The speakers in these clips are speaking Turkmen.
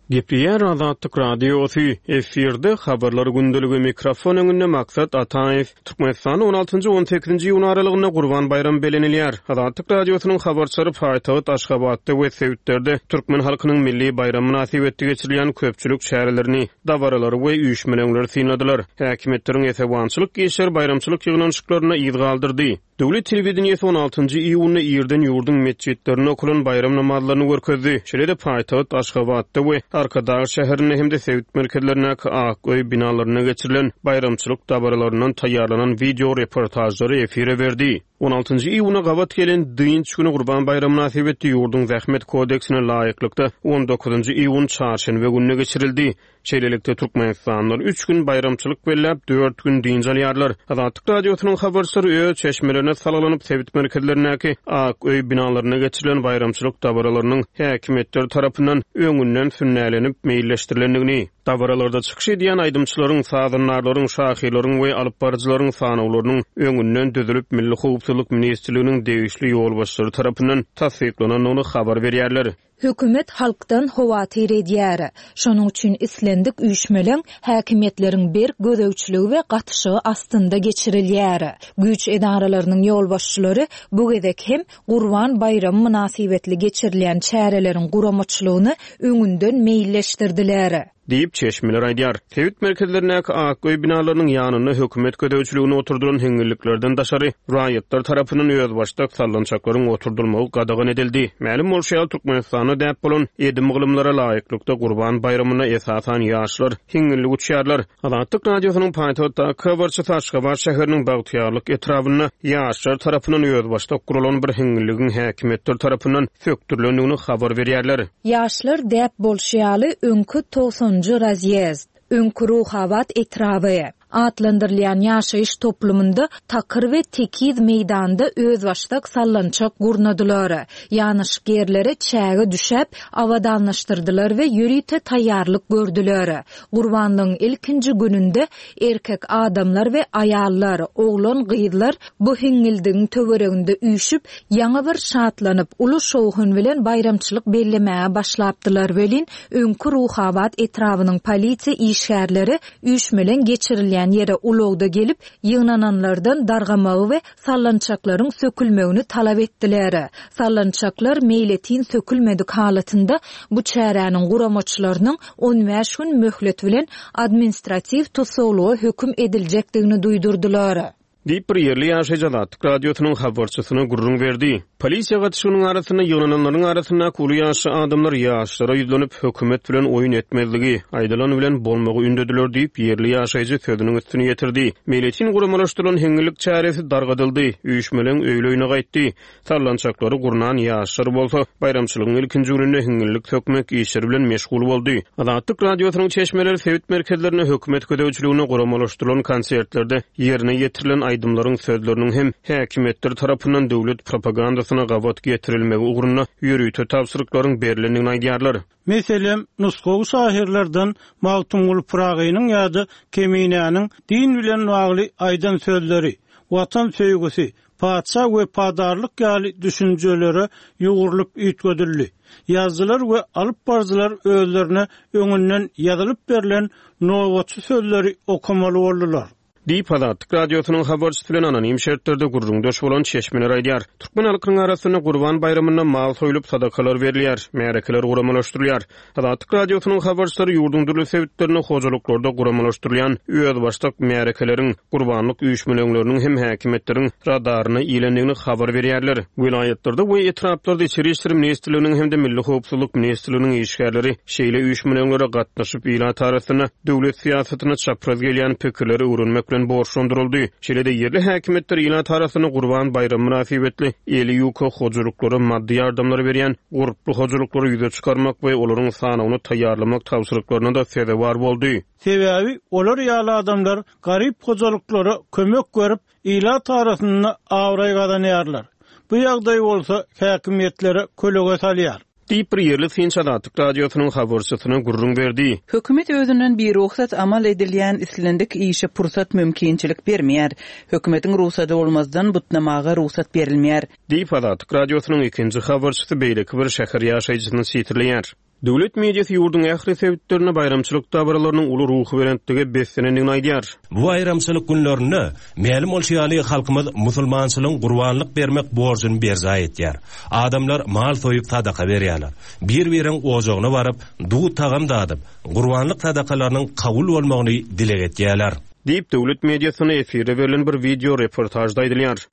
Gepleýär Azatlyk Radiosy, efirde Habarlar gündeligi, mikrofon öňünde Maksat Ataýew. Türkmenistanda on altynjy, on sekizinji iýun aralygynda Gurban baýramy bellenilýär. Azatlyk Radiosynyň habarçylary paýtagt Aşgabatda we sebitlerde türkmen halkynyň milli baýramy mynasybetli geçirilýän köpçülik çärelerini, dabaralary we üýşmeleňleri synladylar. Häkimiýetleriň esewançylyk işleri baýramçylyk ýygnanyşyklarynda yz galdyrdy. Döwlet telewideniýesi on altynjy iýunda irden ýurduň metjitlerinde okalan baýram namazlaryny görkezdi. Şeýle-de paýtagt Aşgabatda we Arkadag şäherinde hem-de sebit merkezlerindäki Ak öý binalarynda geçirilen baýramçylyk dabaralaryndan taýýarlanan wideo reportažlary efire berdi. On altynjy iýuna gabat gelen dynç güni Gurban baýramy mynasybetli ýurduň Zähmet kodeksine laýyklykda on dokuzynjy iýun çarşenbe gününe geçirildi. Şeýlelikde, türkmenistanlylar üç gün baýramçylyk belläp, dört gün dynç alýarlar. Azatlyk Radiosynyň habarçylary öz çeşmelerine salgylanyp, sebit merkezlerindäki Ak öý binalarynda geçirilen baýramçylyk dabaralarynyň häkimiýetler tarapyndan öňünden sünnälenip meýilleşdirilendigini, dabaralarda çykyş edýän aýdymçylaryň, sazandarlaryň, şahyrlaryň we alypbaryjylaryň sanawlarynyň öňünden düzülip, Milli howpsuzlyk ministrliginiň degişli ýolbaşçylary tarapyndan tassyklanandygyny habar berýärler. Hökümet halkdan howatyr edýär. Şonuň üçin islendik üýşmeleň häkimiýetleriň berk gözegçiligi we gatyşygy astynda geçirilýär. Güýç edaralarynyň ýolbaşçylary bu gezek hem Gurban baýramy mynasybetli geçirilýän çäreleriň guramaçylygyny öňünden meýilleşdirdiler. Diýip, çeşmeler aýdýar. Sebit merkezlerindäki ak öý binalarynyň ýanynda hökümet gözegçiliginde oturdylan hiňňilliklerden daşary, raýatlar tarapyndan özbaşdak sallançaklaryň oturdylmagy gadagan edildi. Mälim bolşy ýaly, Türkmenistanda däp bolan edim-gylymlara laýyklykda, Gurban baýramynda esasan ýaşlar hiňňillik uçýarlar. Azatlyk Radiosynyň paýtagtdaky habarçysy Aşgabat şäheriniň Bagtyýarlyk etrabynda ýaşlar tarapyndan özbaşdak guralan bir hiňňilligiň häkimiýetler tarapyndan sökdürilendigini habar berýärler. Ýaşlar däp bolşy ýaly öňki togsanynjy razýezd, öňki Ruhabat etraby, atlandyrylýan ýaşaýyş toplumynda takyr we tekiz meýdanda özbaşdak sallançak gurnadylar. Ýanaşyk ýerlere çäge düşäp, abadanlaşdyrdylar we ýörite taýýarlyk gördüler. Gurbanlygyň ilkinji gününde Erkek adamlar we aýallar, oglan-gyzlar bu hiňňildigiň töwereginde üýşüp, ýaňy bir şatlanyp, uly şowhun bilen baýramçylyk bellemäge başlapdylar welin, öňki Ruhabat etrabynyň polisiýa işgärleri üýşmeleň geçirilýän ýere ulagda gelip, ýygnananlardan dargamagy we sallançaklaryň sökülmegini talap etdiler. Sallançaklar meýletin sökülmedik halatynda bu çäräniň guramaçylarynyň 15 gün möhlet bilen administratiw tussaglyga höküm ediljekdigini duýdurdylar. Diýip, bir ýerli ýaşaýjy Azatlyk Radiosynyň habarçysyna gürrüň berdi. Polisiýa gatyşygynyň arasynda ýygnananlaryň arasyndaky uly ýaşly adamlar ýaşlara ýüzlenip, hökümet bilen oýun etmezligi, aýdylan bilen bolmagy ündediler diýip, ýerli ýaşaýjy sözüniň üstüni ýetirdi. Meýletin guramalaşdyrylan heňňillik çäresi dargadyldy, üýşmeleň öýli-öýüne gaýtdy. Sallançaklary gurnan ýaşlar bolsa, baýramçylygyň ilkinji gününde hiňňillik sökmek işleri bilen meşgul boldy. Azatlyk Radiosynyň çeşmeleri sebit merkezlerinde hökümet gözegçiliginde guramalaşdyrylan konsertlerde ýerine ýetirilen aýdymlaryň sözleriniň hem häkimiýetler tarapyndan döwlet propagandasyna gabat getirilmegi ugrunda ýörite tabşyryklaryň berlendigini aýdýarlar. Meselem, nusgawy şahyrlardan Magtymguly Pyragynyň ýa-da Keminäniň din bilen bagly aýdan sözleri, Watan söýgüsi, patyşa wepadarlyk ýaly düşünjelere ýugrulyp üýtgedildi. Ýazyjylar we alyp baryjylar özlerine öňünden ýazylyp berlen nobatçy sözleri okamaly boldular. Diýip, Azatlyk Radiosynyň habarçysy bilen anonim şertlerde gürrüňdeş bolan çeşmeler aýdýar. Türkmen halkynyň arasynda Gurban baýramynda mal soýlup, sadakalar berilýär, märekeler guramalaşdyrylýar. Azatlyk Radiosynyň habarçylary ýurduň dürli sebitlerinde hojalyklarda guramalaşdyrylýan özbaşdak märekeleriň, gurbanlyk üýşmeleňleriniň hem häkimiýetleriň radaryna ilendigini habar berýärler. Welaýatlarda we etraplarda Içeri işler ministrliginiň hem-de Milli howpsuzlyk ministrliginiň işgärleri şeýle üýşmeleňlere gatnaşyp, ilat arasynda döwlet syýasatyna çapraz gelýän pikirleri öwrenmek bilen borçlandyryldy. Şeýle-de ýerli häkimiýetler ilat arasynda Gurban baýramy mynasybetli eli ýuka hojalyklara maddy ýardamlary berýän gurply hojalyklary ýüze çykarmak we olaryň sanawyny taýýarlamak tabşyryklaryna-da sezewar boldy. Sebäbi olar ýaly adamlar garyp hojalyklara kömek berip, ilat arasynda abraý gazanýarlar. Bu ýagdaý bolsa häkimiýetlere kölege salýar. Diýip, bir ýerli synçy Azatlyk Radiosynyň habarçysyna gürrüň berdi. Hökümet özünden birugsat amal edilýän islendik işe pursat-mümkinçilik bermeýär. Hökümetiň rugsady bolmazdan butnamaga rugsat berilmeýär. Diýip, Azatlyk Radiosynyň ikinji habarçysy beýleki bir şäher ýaşaýjysyny sitirleýär. Döwlet mediasy ýurduň ähli sebitlerinde baýramçylyk dabaralarynyň uly ruhubelentlige beslenendigini aýdýar. Bu baýramçylyk günlerinde, mälim bolşy ýaly, halkymyz musulmançylygyň gurbanlyk bermek borjuny berjaý etýär. Adamlar mal soýup sadaka berýärler. Bir-biriniň ojagyna baryp, duz-tagam dadyp, gurbanlyk sadakalarynyň kabul bolmagyny dileg etýärler. Diýip, döwlet mediasynda efirde berlen bir wideo reportažda aýdylýar.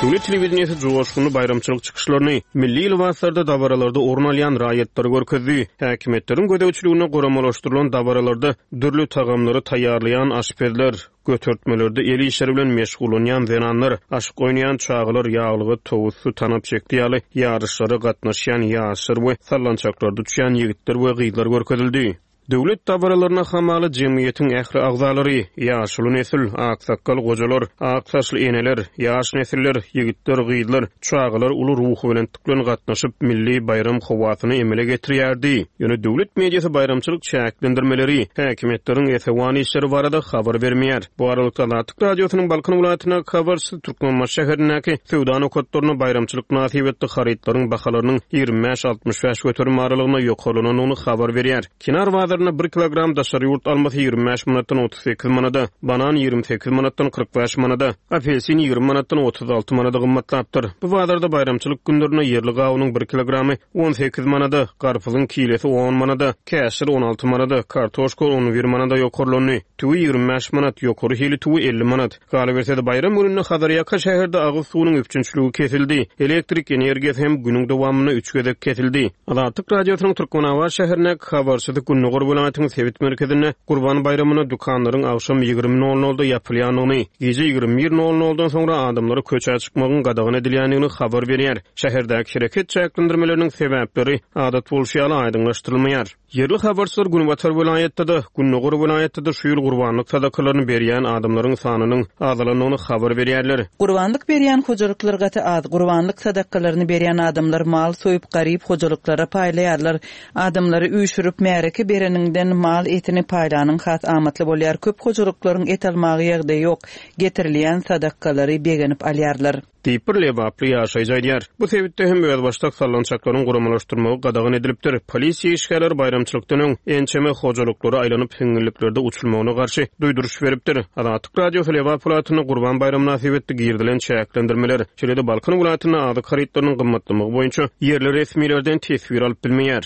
Döwlet telewideniýesi joşgunly baýramçylyk çykyşlaryny, milli lybaslarda dabaralarda orun alýan raýatlary görkezdi. Häkimiýetleriň gözegçiliginde guramalaşdyrylan dabaralarda dürli tagamlary taýýarlaýan aşpezler, götertmelerde el işleri bilen meşgullanýan zenanlar, aşyk oýnaýan çagalar, ýaglyga towusdy, tanap çekdi ýaly ýaryşlara gatnaşýan ýaşlar we sallançaklarda uçýan ýigitler we gyzlar görkezildi. Döwlet dabaralaryna hamala jemgyýetiň ähli agzalary, ýaşuly nesil, aksakgal gojalar, ak saçly eneler, ýaş nesiller, ýigitler, gyzlar, çagalar uly ruhubelentlik bilen gatnaşyp, milli baýram howasyny emele getirýärdi. Ýöne döwlet mediasy baýramçylyk çäklendirmeleri, häkimiýetleriň esewan işleri barada habar bermeýär. Bu aralykda, Azatlyk Radiosynyň Balkan welaýatyndaky habarçysy Türkmenbaşy şäherindäki söwda nokatlarynda baýramçylyk mynasybetli harytlaryň bahalarynyň 25-65 göterim aralygynda ýokarlanandygyny habar berýär. Kenar bazarynda bir kilogram daşary ýurt almasy 25 manatdan 38 manada, banan 28 manatdan 45 manada, apelsin 20 manatdan 36 manada gymmatlapdyr. Bu bazarda baýramçylyk günlerinde ýerli gawunyň bir kilogramy 18 manada, garpyzyň kilesi on manada, käşir 16 manada, kartoşka on bir manada ýokarlandy. Tüwi 25 manat, ýokary hili tüwi 50 manat. Galyberse-de, baýram gününde Hazarýaka şäherde agyz suwunyň üpjünçiligi kesildi. Elektrik energiýasy hem günüň dowamynda üç gezek kesildi. Azatlyk Radiosynyň Türkmenabat şäherindäki habarçysy gündogar welaýatyň sebit merkezinde Gurban baýramynda dükanlaryň agşam 20 nol nolda ýapylýandygyny, gije 21 nol noldan soňra adamlara köçä çykmagyň gadagan edilýändigini habar berýär. Şäherdäki hereket çäklendirmeleriniň sebäpleri, adat bolşy ýaly, aýdyňlaşdyrylmaýar. Ýerli habarçylar günbatar welaýatda-da, gündogar welaýatda-da şu ýyl gurbanlyk sadakalaryny berýän adamlaryň sanynyň azalandygyny habar berýärler. Gurbanlyk berýän hojalyklar gaty az. Gurbanlyk sadakalaryny berýän adamlar mal soýup, garyp hojalyklara paýlaýarlar. Adamlary üýşürip, märeke bereniňden mal etini paýlanyň has amatly bolýar. Köp hojalyklaryň et almaga ýagdaýy ýok. Getirilýän sadakalary begenip alýarlar. Diýip, bir lebaply ýaşaýjy aýdýar. Bu sebitde hem özbaşdak sallançaklaryň guramalaşdyrmagy gadagan edilipdir. Polisiýa işgärleri baýramçylykdan öň ençeme hojalyklara aýlanyp, hiňňilliklerde uçulmagyna garşy duýduryş beripdir. Azatlyk Radiosy Lebap welaýatynda Gurban baýramy mynasybetli girizilen çäklendirmeler, şeýle-de Balkan welaýatynda azyk harytlarynyň gymmatlamagy boýunça ýerli resmilerden teswir alyp bilmeýär.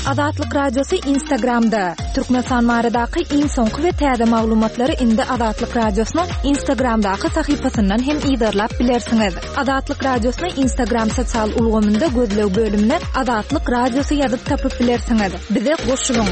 Azatlyk Radiosy Instagramda, Türkmenistan baradaky iň soňky we täze maglumatlary indi Azatlyk Radiosynyň Instagramdaky sahypasyndan hem yzarlap bilersiňiz. Azatlyk Radiosyny Instagram sosial ulgamynda gözleg bölümine Azatlyk Radiosy ýazyp tapyp bilersiňiz. Bize goşulyň!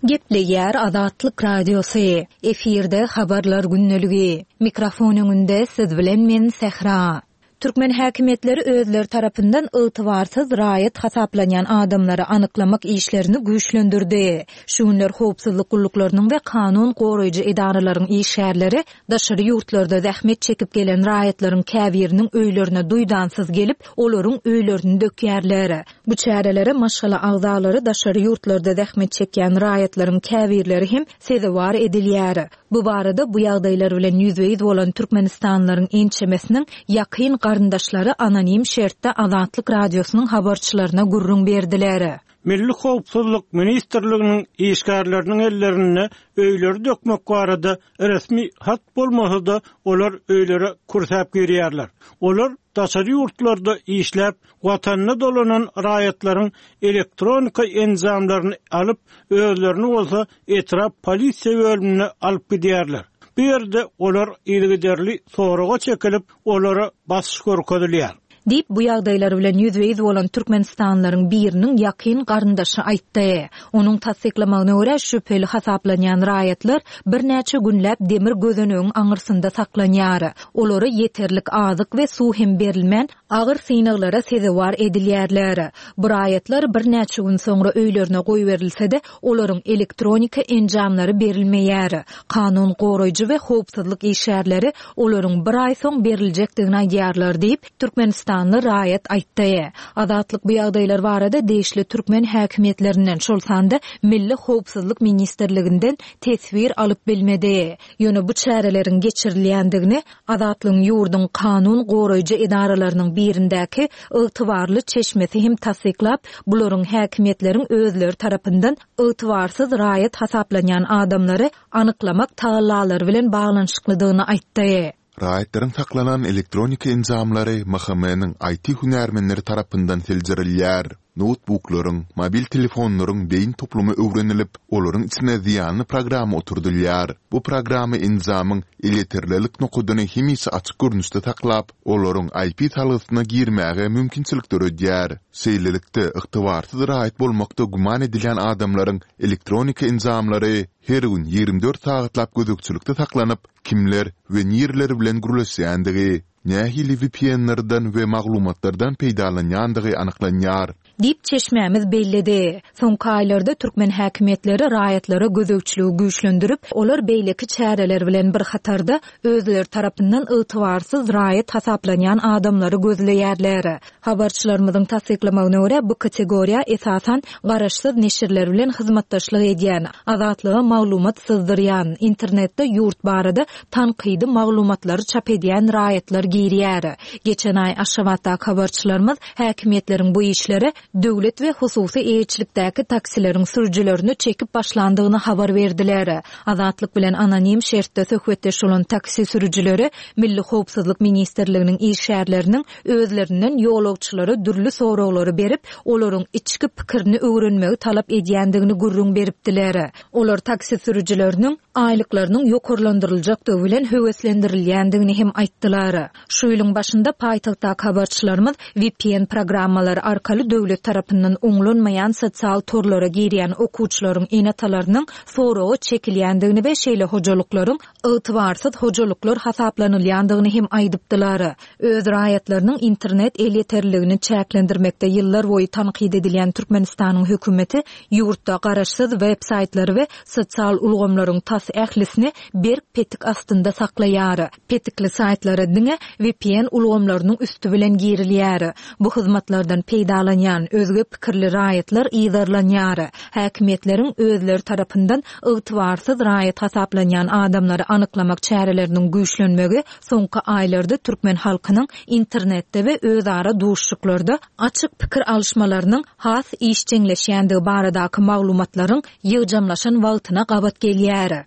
Gepleýär Azatlyk Radiosy, efirde Habarlar gündeligi. Mikrofon öňünde siz bilen men Sähra. Türkmen häkimiýetleri özleri tarapyndan ygtybarsyz raýat hasaplanýan adamlary anyklamak işlerini güýçlendirdi. Şu günler howpsuzlyk gulluklarynyň we kanun goraýjy edaralaryň işgärleri daşary ýurtlarda zähmet çekip gelen raýatlaryň käbiriniň öýlerine duýdansyz gelip, olaryň öýlerini dökýärler. Bu çärelere maşgala agzalary daşary ýurtlarda zähmet çekýän raýatlaryň käbirleri hem sezewar edilýär. Bu barada bu ýagdaýlar bilen ýüzbe-ýüz bolan türkmenistanlylaryň ençemesiniň ýakyn garyndaşlary anonim şertde Azatlyk Radiosynyň habarçylaryna gürrüň berdiler. Milli howpsuzlyk ministrliginiň işgärleriniň ellerinde öýleri dökmek barada resmi hat bolmasa-da, olar öýlere kürsäp girýärler. Olar daşary ýurtlarda işläp, Watanyna dolanan raýatlaryň elektronika enjamlaryny alyp, özlerini bolsa etrap polisiýa bölümine alyp gidýärler. Bu ýerde olar yzygiderli soraga çekilip, olara basyş görkezilýär. Diýip, bu ýagdaýlar bilen ýüzbe-ýüz bolan türkmenistanlylaryň biriniň ýakyn garyndaşy aýtdy. Onuň tassyklamagyna görä, şübheli hasaplanýan raýatlar birnäçe günläp demir gözenegiň aňyrsynda saklanýar. Olara ýeterlik azyk we suw hem berilmän, agyr synaglara sezewar edilýärler. Bu raýatlar birnäçe gün soňra öýlerine goýberilse-de, olaryň elektronika enjamlary berilmeýär. Kanun goraýjy we howpsuzlyk işgärleri olaryň bir aý soň beriljekdigini aýdýarlar diýip, türkmenistanyň. türkmenistanly raýat aýtdy. Azatlyk bu ýagdaýlar barada degişli türkmen häkimiýetlerinden, şol sanda Milli howpsuzlyk ministrliginden teswir alyp bilmedi. Ýöne bu çäreleriň geçirilýändigini Azatlygyň ýurduň kanun goraýjy edaralarynyň birindäki ygtybarly çeşmesi hem tassyklap, bularyň häkimiýetleriň özleri tarapyndan ygtybarsyz raýat hasaplanýan adamlary anyklamak tagallalary bilen baglanyşyklydygyny aýtdy. Raýatlaryň saklanan elektroniki enjamlary MHM-niň IT-hünärmenleri tarapyndan seljerilýär. Noutbuklaryň, mobil telefonlaryň beýin toplumy öwrenilip, olaryň içine zyýanly programma oturdylýar. Bu programma enjamyň elýeterlilik nokadyny hemişe açyk görnüşde saklap, olaryň IP salgysyna girmäge mümkinçilik döredýär. Şeýlelikde, ygtybarsyz raýat bolmakda güman edilýän adamlaryň elektroniki enjamlary her gün 24 sagatlap gözegçilikde saklanyp, kimler we nireler bilen gürleşýändigi, nähili VPN-lerden we maglumatlardan peýdalanýandygy anyklanýar. Diýip, çeşmämiz belledi. Soňky aýlarda türkmen häkimiýetleri raýatlara gözegçiligi güýçlendirip, olar beýleki çäreler bilen bir hatarda, özleri tarapyndan ygtybarsyz raýat hasaplanýan adamlary gözleýärler. Habarçylarymyzyň tassyklamagyna görä, bu kategoriýa, esasan, garaşsyz neşirler bilen hyzmatdaşlyk edýän, Azatlyga maglumat syzdyrýan, internetde ýurt barada tankydy maglumatlary çap edýän raýatlar girýär. Geçen aý Aşgabatdaky habarçylarymyz häkimiýetleriň bu işlere döwlet we hususy eýeçilikdäki taksileriň sürüjilerini çekip başlandygyny habar berdiler. Azatlyk bilen anonim şertde söhbetdeş bolan taksi sürüjileri Milli howpsuzlyk ministrliginiň işgärleriniň özlerinden ýolagçylara dürli soraglary berip, olaryň içki pikirini öwrenmegi talap edýändigini gürrüň beripdiler. Olar taksi sürüjileriniň aýlyklarynyň ýokarlandyryljakdygy bilen höweslendirilýändigini hem aýtdylar. Şu ýylyň başynda paýtagtdaky habarçylarymyz vpn programmalary arkaly döwlet tarapyndan oňlanmaýan sosial torlara girýän okuwçylaryň ene-atalarynyň soraga çekilýändigini we şeýle hojalyklaryň ygtybarsyz hojalyklar hasaplanylýandygyny hem aýdypdylar. Öz raýatlarynyň internet elýeterliligini çäklendirmekde ýyllar boýy tankyt edilýän Türkmenistanyň hökümeti ýurtda garaşsyz web-saýtlary we sosial ulgamlaryň tas ählisini berk petik astynda saklaýar. Petikli saýtlara diňe vpn ulgamlarynyň üsti bilen girilýär. Bu hyzmatlardan peýdalanýan özge pikirli raýatlar yzarlanýar. Häkimiýetleriň özleri tarapyndan ygtybarsyz raýat hasaplanýan adamlary anyklamak çäreleriniň güýçlenmegi soňky aýlarda türkmen halkynyň internetde we özara duşuşyklarda açyk pikir alyşmalarynyň has işjeňleşýändigi baradaky maglumatlaryň ýygjamlaşan wagtyna gabat gelýär.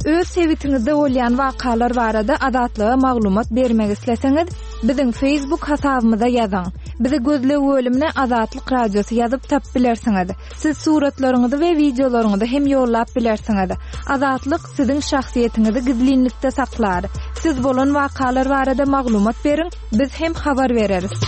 Öz sebitiňizde bolýan wakalar barada Azatlyga maglumat bermek isleseňiz, biziň Facebook hasabymyza ýazyň. Bizi gözleg bölümine Azatlyk Radiosy ýazyp tapyp bilersiňiz. Siz suratlaryňyzy we wideolaryňyzy hem ýollap bilersiňiz. Azatlyk siziň şahsyýetiňizi gizlinlikde saklar. Siz bolan wakalar barada maglumat beriň, biz hem habar bereris.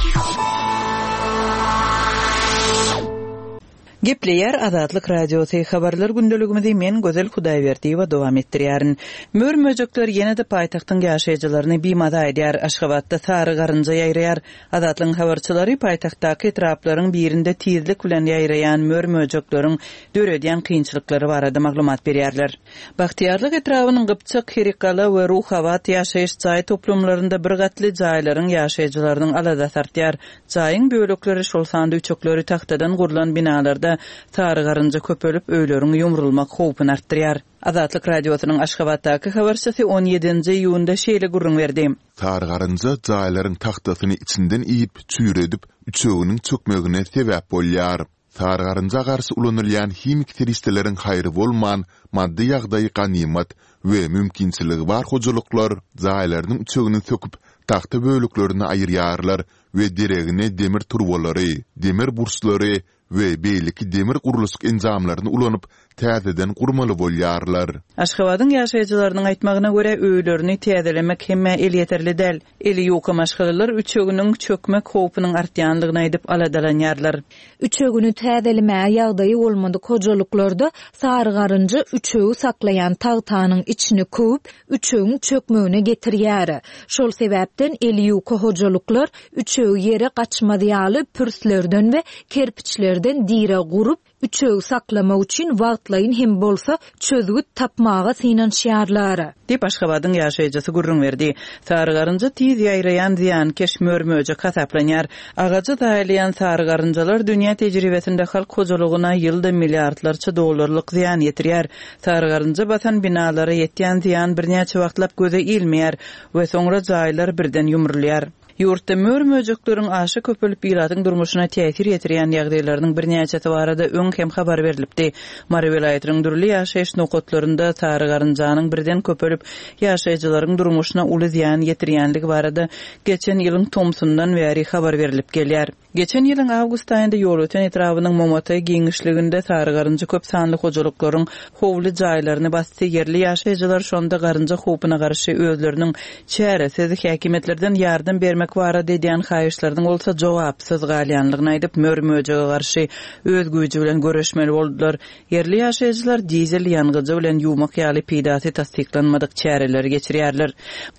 Gepleýär Azatlyk Radiosy, Habarlar gündeligimizi men Gözel Hudaýberdiýewa dowam etdirýärin. Mör-möjekler ýene-de paýtagtyň ýaşaýjylaryny bimaza edýär. Aşgabatda sary garynja ýaýraýar. Azatlygyň habarçylary paýtagtdaky etraplaryň birinde tizlik bilen ýaýraýan mör-möjekleriň döredýän kynçylyklary barada maglumat berýärler. Bagtyýarlyk etrabynyň Gypjak, Herikgala we Ruhabat ýaşaýyş jaý toplumlarynda bir gatly jaýlaryň ýaşaýjylarynyň aladasy artýar. Jaýyň bölekleri, şol sanda üçekleri tagtadan gurlan binalarda sary garynja köpelip, öýleriň ýumrulmak howpuny artdyrýar. Azatlyk Radiosynyň Aşgabatdaky habarçysy on ýedinji iýunda şeýle gürrüň berdi. Sary garynja jaýlaryň tagtasyny içinden iýip, çüýredip, üçeginiň çökmegine sebäp bolýar. Sary garynja garşy ulanylýan himiki serişdeleriň haýry bolman, maddy ýagdaýy ganymat we mümkinçiligi bar hojalyklar jaýlarynyň üçegini söküp, tagta böleklerini aýyrýarlar we deregine demir turbalary, demir burçlary we beýleki demir gurluşyk enjamlaryny ulanyp, täzeden gurmaly bolýarlar. Aşgabadyň ýaşaýjylarynyň aýtmagyna görä, öýlerini täzelemek hemmä elýeterli däl. Eli ýuka maşgalalar üçeginiň çökmek howpunyň artýandygyny aýdyp aladalanýarlar. Üçegini täzelemäge ýagdaýy bolmadyk hojalyklarda sary garynja üçegi saklaýan tagtanyň içini köwüp, üçegiň çökmegine getirýär. Şol sebäpden eli ýuka hojalyklar üçegi ýere gaçmaz ýaly pürslerden we kerpiçlerden. ýerden direg gurup, Üçegi saklamak üçin wagtlaýyn hem bolsa çözgüt tapmaga synanyşýarlar. Diýip, Aşgabadyň ýaşaýjysy gürrüň berdi. Sary garynja tiz ýaýraýan zyýankeş mör-möjek hasaplanýar. Agajy zaýalaýan sary garynjalar dünýä tejribesinde halk hojalygyna ýylda milliardlarça dollarlyk zyýan ýetirýär. Sary garynja basan binalara ýetýän zyýan birnäçe wagtlap göze ilmeýär we soňra jaýlar birden ýumrulýar. Ýurtda mör-möjekleriň aşa köpelip ilatyň durmuşyna täsir ýetirýän ýagdaýlarynyň birnäçesi barada öň hem habar berlipdi. Mary welaýatynyň dürli ýaşaýyş nokatlarynda sary garynjanyň birden köpelip, ýaşaýjylaryň durmuşyna uly zyýan ýetirýänligi barada geçen ýylyň tomsundan bäri habar berlip gelýär. Geçen ýylyň awgust aýynda Ýolöten etrabynyň Momataý giňişliginde sary garynja köp sanly hojalyklaryň howly jaýlaryny basdy. Ýerli ýaşaýjylar şonda garynja howpuna garşy özleriniň çäresiz, häkimiýetlerden ýardam bermek barada edýän haýyşlarynyň bolsa jogapsyz galýanlygyny aýdyp, mör-möjege garşy öz güýji bilen göreşmeli boldular. Ýerli ýaşaýjylar dizel ýangyjy bilen ýuwmak ýaly peýdasy tassyklanmadyk çäreleri geçirýärler.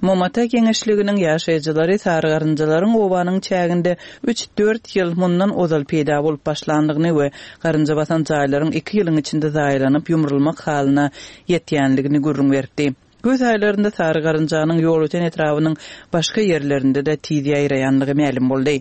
Momata geňeşliginiň ýaşaýjylary sary garynjalaryň obanyň çäginde üç-dört ýyl mundan ozal peýda bolup başlandygyny we garynja basan jaýlaryň iki ýylyň içinde zaýalanyp ýumrulmak halyna ýetýänligini gürrüň beripdi. Güýz aýlarynda sary garynjanyň Ýolöten etrabynyň başga ýerlerinde-de tiz ýaýraýandygy mälim boldy.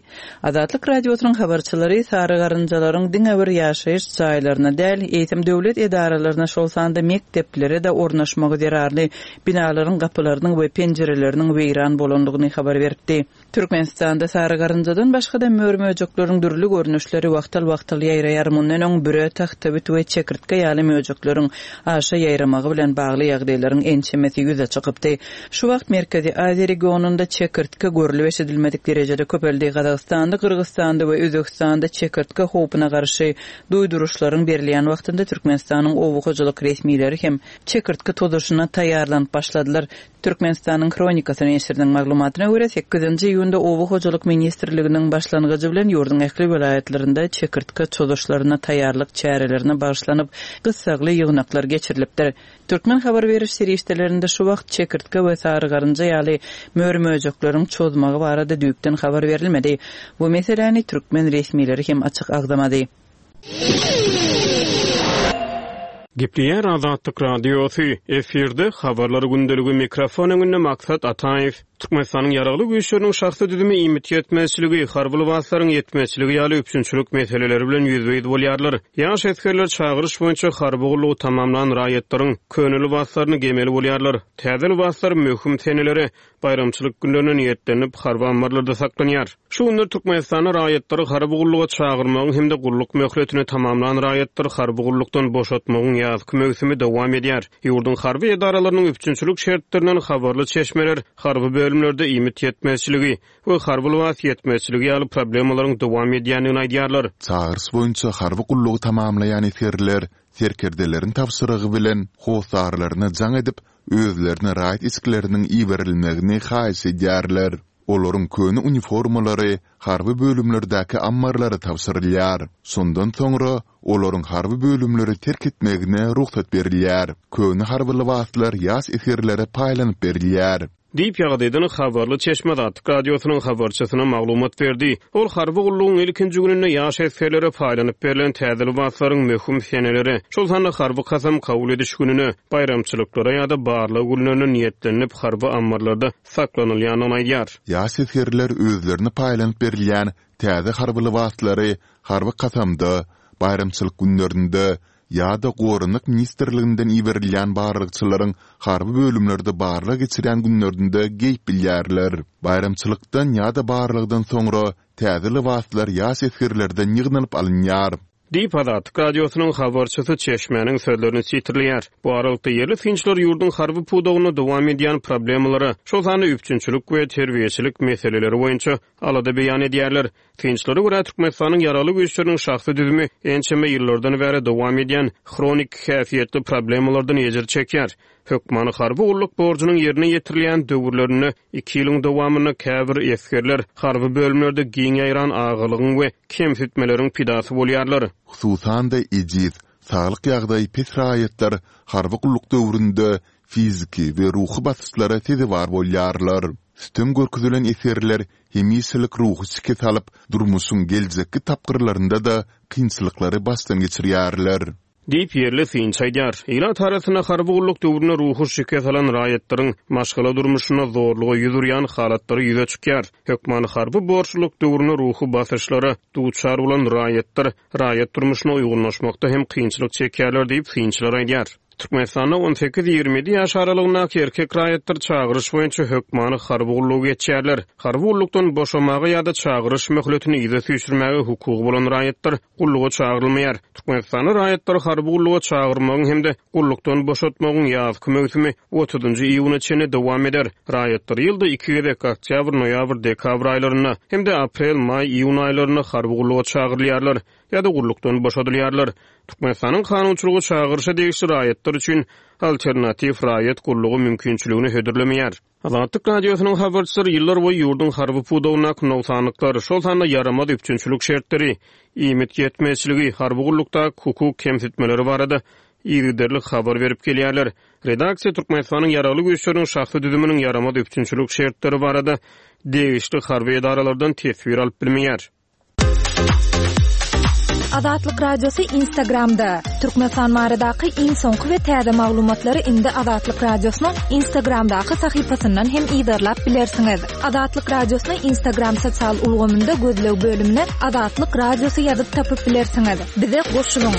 Azatlyk Radiosynyň habarçylary sary garynjalaryň diňe bir ýaşaýyş jaýlaryna däl, eýsem döwlet edaralaryna, şol sanda mekdeplere-de ornaşmagy zerarly binalaryň gapylarynyň we penjireleriniň weýran bolandygyny habar beripdi. Türkmenistanda sary garynjadan başga-da mör-möjekleriň dürli görnüşleri wagtal-wagtal ýaýraýar. Mundan öň büre, tagtabit we çekirtge ýaly möjekleriň aşa ýaýramagy bilen bagly ýagdaýlaryň ençemesi ýüze çykypdy. Şu wagt Merkezi Aziýa regionynda çekirtge görlüp-eşidilmedik derejede köpeldi. Gazagystanda, Gyrgyzystanda we Özbegistanda çekirtge howpuna garşy duýduryşlaryň berilýän wagtynda Türkmenistanyň oba hojalyk resmileri hem çekirtge tozuşyna taýýarlanyp başladylar. Türkmenistanyň Hronikasy neşiriniň maglumatyna görä, sekizinji iýunda Oba hojalyk ministrliginiň başlangyjy bilen ýurduň ähli welaýatlarynda çekirtge çozuşlaryna taýýarlyk çärelerine bagyşlanyp, gyssagly ýygnaklar geçirilipdir. Türkmen habar beriş serişdelerinde şu wagt çekirtge we sary garynja ýaly mör-möjekleriň çozmagy barada düýpden habar berilmedi. Bu meseläni türkmen resmileri hem açyk agzamady. Gepleýär Azatlyk Radiosy, efirde Habarlar gündeligi mikrofon öňünde Maksat Ataýew. Türkmenistanyň Ýaragly Güýçleriniň şahsy düzümi iýmit ýetmezçiligi, harby lybaslaryň ýetmezçiligi ýaly üpjünçilik meseleleri bilen ýüzbe-ýüz bolýarlar. Ýaş esgerler çagyryş boýunça harby gullugy tamamlan raýatlaryň köne lybaslaryny geýmeli bolýarlar. Täze lybaslar möhüm senelere, baýramçylyk günlerine niýetlenip, harby ammarlarda saklanýar. Şu günler Türkmenistanda raýatlary harby gulluga çagyrmagyň hem-de gulluk möhletini tamamlan raýatlary harby gullukdan boşatmagyň ýazky möwsümi dowam edýär. Ýurduň harby edaralarynyň üpjünçilik şertlerinden habarly çeşmeler harby bölümlerde iýmit ýetmezçiligi we harby lybas ýetmezçiligi ýaly problemalaryň dowam edýändigini aýdýarlar. Çagyryş boýunça harby gullugy tamamlaýan esgerler serkerdeleriň tabşyrygy bilen hossarlaryna jaň edip, özlerine raýat eşikleriniň iberilmegini haýyş edýärler. Olaryň köne uniformalary harby bölümlerdäki ammarlara tabşyrylýar. Şondan soňra olaryň harby bölümleri terk etmegine rugsat berilýär. Köne harby lybaslar ýaş esgerlere paýlanyp berilýär. Diýip, ýagdaýdan habarly çeşme Azatlyk Radiosynyň habarçysyna maglumat berdi. Ol harby gullugyň ilkinji gününde ýaş esgerlere paýlanyp berlen täze lybaslaryň möhüm senelere, şol sanda harby kasam kabul ediş gününe, baýramçylyklara ýa-da barlag günlerine niýetlenilip harby ammarlarda saklanylýandygyny aýdýar. Ýaş esgerler özlerine paýlanyp berilýän täze harby lybaslary harby kasamda, baýramçylyk günlerinde ýa-da Goranmak ministrliginden iberilýän barlagçylaryň harby bölümlerde barlag geçirýän günlerinde geýip bilýärler. Baýramçylykdan ýa-da barlagdan soňra täze lybaslar ýaş esgerlerden ýygnalyp alynýar. Diýip, Azatlyk Radiosynyň habarçysy çeşmäniň sözlerini sitirleýär. Bu aralykda, ýerli synçylar ýurduň harby pudagynda dowam edýän problemalara, şol sanda üpjünçilik we terbiýeçilik meseleleri boýunça alada beýan edýärler. Synçylara görä, Türkmenistanyň Ýaragly Güýçleriniň şahsy düzümi ençeme ýyllardan bäri dowam edýän hronik häsiýetli problemalardan ejir çekýär. Hökmany harby gulluk borjunyň ýerine ýetirilýän döwürlerinde iki ýylyň dowamynda käbir esgerler harby bölümlerde giň ýaýran agalygyň we kemsitmeleriň pidasy bolýarlar. Hususan-da, ejiz, saglyk ýagdaýy pes raýatlar harby gulluk döwründe. fiziki we ruhy basyşlara sezewar bolýarlar. Sütem görkezilen esgerler hemişelik ruhy şikes alyp, durmuşyň geljekki tapgyrlarynda-da kynçylyklary başdan geçirýärler. Diýip, ýerli synçy aýdýar. Ilat arasynda harby gulluk döwründe ruhy şikes alan raýatlaryň maşgala durmuşynda zorluga ýüz urýan halatlary ýüze çykýar. Hökmany harby borçlulyk döwründe ruhy basyşlara duçar bolan raýatlar raýat durmuşyna uýgunlaşmakda hem kynçylyk çekýärler diýip, synçylar aýdýar. Türkmenistanda on sekiz-ýigrimi ýedi ýaş aralygyndaky erkek raýatlar çagyryş boýunça hökmany harby gullugy geçýärler. Harby gullukdan boşamaga ýa-da çagyryş möhletini yza süýşürmäge hukugy bolan raýatlar gulluga çagyrylmaýar. Türkmenistanda raýatlary harby gulluga çagyrmagyň hem-de gullukdan boşatmagyň ýazky möwsümi otuzynjy iýuna çenli dowam eder. Raýatlar ýylda iki gezek, oktýabr, noýabr, dekabr aýlarynda hem-de aprel, maý, iýun aýlarynda harby gulluga çagyrylýarlar ýa-da gullukdan boşadylýarlar. Türkmenistanyň kanunçylygy çagyryşa degişli raýatlar üçin alternatiw raýat gullugy mümkinçiligini hödürlemeýär. Azatlyk Radiosynyň habarçylary ýyllarboýy ýurduň harby pudagyndaky nogsanlyklar, şol sanda ýaramaz üpjünçilik şertleri, iýmit ýetmezçiligi, harby gullukdaky hukuk kemsitmeleri barada yzygiderli habar berip gelýärler. Redaksiýa Türkmenistanyň Ýaragly Güýçleriniň şahsy düzüminiň ýaramaz üpjünçilik şertleri barada degişli harby edaralardan teswir alyp bilmeýär. Azatlyk Radiosy Instagramda, Türkmenistan baradaky iň soňky we täze maglumatlary indi Azatlyk Radiosynyň Instagramdaky sahypasyndan hem yzarlap bilersiňiz. Azatlyk Radiosyny Instagram sosial ulgamynda gözleg bölümine Azatlyk Radiosy ýazyp tapyp bilersiňiz. Bize goşulyň!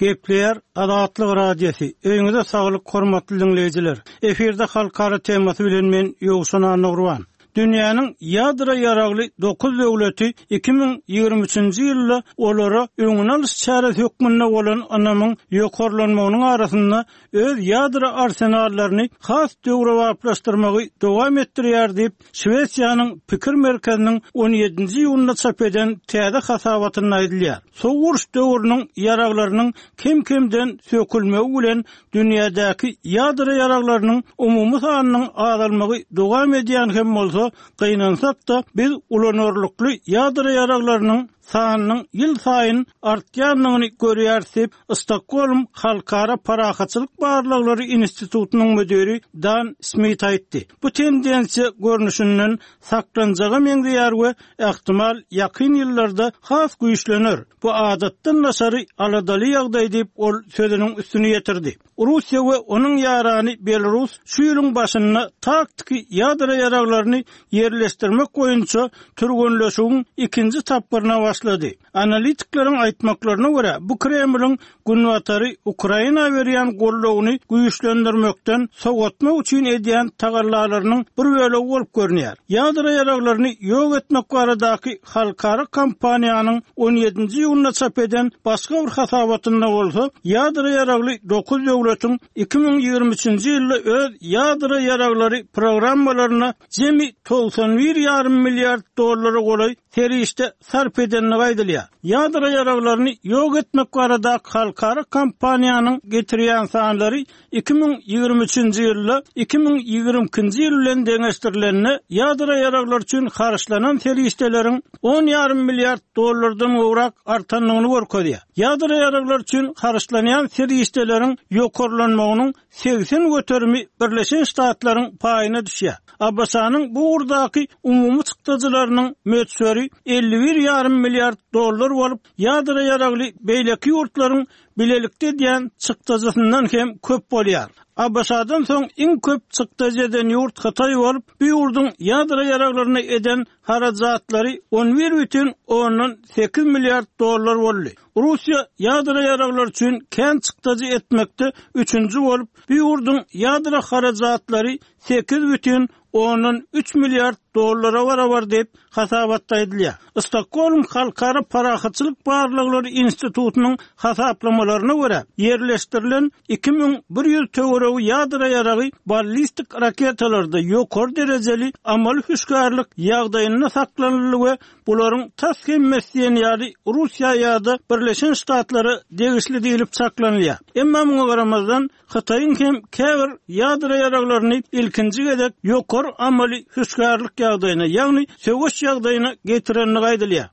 Gepleýär Azatlyk Radiosy, Öýüňize saglyk hormatly diňleýjiler! Efirde halkara temasy bilen men Ýowşan Annagurban. Dünýäniň ýadro ýaragly dokuz döwleti 2023-nji ýylda olara öňüni alyş çäresi hökmünde bolan ynamyň ýokarlanmagynyň arasynda öz ýadro arsenallaryny has döwrebaplaşdyrmagy dowam etdirýär diýip, Şwesiýanyň Pikir merkeziniň on ýedinji iýunda çap eden täze hasabatynda aýdylýar. Sowuk uruş döwrüniň ýaraglarynyň kem-kemden sökülmegi bilen dünýädäki ýadro ýaraglarynyň umumy sanynyň azalmagy dowam edýän hem bolsa, gynansak-da, biz ulanarlykly ýadro ýaraglarynyň sanynyň ýylsaýyn artýandygyny görýäris diýip, Stokgolm Halkara parahatçylyk barlaglary institutynyň müdiri Dan Smit aýtdy. Bu tendensiýa görnüşinden saklanjaga meňzeýär we ähtimal ýakyn ýyllarda has güýçlener. Bu adatdan daşary aladaly ýagdaý diýip, ol sözüniň üstüni ýetirdi. Russiýa we onuň ýarany Belarus şu ýylyň başynda taktiki ýadro ýaraglaryny ýerleşdirmek boýunça türgenleşigiň ikinji tapgyryna başlady. Analitikleriň aýtmaklaryna görä, bu Kremliň Günbatary Ukraina berýän goldawyny güýçlendirmekden sowatmak üçin edýän tagallalarynyň bir bölegi bolup görünýär. Ýadro ýaraglaryny ýok etmek baradaky halkara kampaniýanyň on ýedinji iýunda çap eden başga bir hasabatynda bolsa, ýadro ýaragly dokuz döwletiň 2023-nji ýylda öz ýadro ýaraglary programmalaryna jemi 91 ýarym milliard dollara golaý serişde sarp edendigi aýdylýar. Ýadro ýaraglaryny ýok etmek baradaky halkara kampaniýanyň getirýän sanlary 2023-nji ýylda 2022-nji ýyl bilen deňeşdirilende ýadro ýaraglary üçin harçlanan serişdeleriň on ýarym milliard dollardan gowrak artandygyny görkezýär. Ýadro ýaraglary üçin harçlanýan serişdeleriň ýokarlanmagynyň 80 göterimi Birleşen Ştatlaryň paýyna düşýär. ABŞ-nyň bu ugurdaky umumy çykdajylarynyň möçberi 51 ýarym milliard dollar bolup, ýadro ýaragly beýleki ýurtlaryň bilelikde edýän çykdajysyndan hem köp bolýar. ABŞ-dan soň iň köp çykdajy eden ýurt Hytaý bolup, bu ýurduň ýadro ýaraglaryna eden harajatlary on bir bütin ondan sekiz milliard dollar boldy. Russiýa ýadro ýaraglary üçin kän çykdajy etmekde üçünji bolup, bu ýurduň ýadro harajatlary sekiz bütin ondan üç milliard dollara barabar diýip, hasabatda aýdylýar. Stokgolm Halkara parahatçylyk barlaglary institutynyň hasaplamalaryna görä, ýerleşdirilen 2100 töweregi ýadro ýaragy ballistik raketalarda ýokary derejeli amaly hüşgärlik ýagdaýynda saklanyldy we bularyň tas hemmesi diýen ýaly Russiýa ýa-da Birleşen Ştatlara degişli diýlip çaklanylýar. Emma muňa garamazdan, Hytaýyň hem käbir ýadro ýaraglaryny ilkinji gezek ýokary amaly hüşgärlik ýagdaýyna, ýagny söweş ýagdaýyna getirendigi aýdylýar.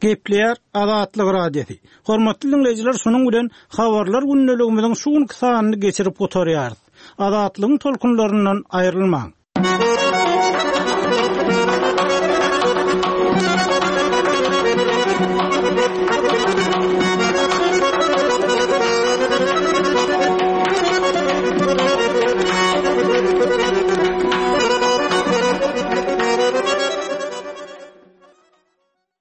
Gepleýär Azatlyk Radiosy. Hormatly diňleýjiler, şunuň bilen Habarlar gündeligimiziň şu günki sanyny geçirip gutarýarys. Azatlygyň tolkunlaryndan aýrylmaň!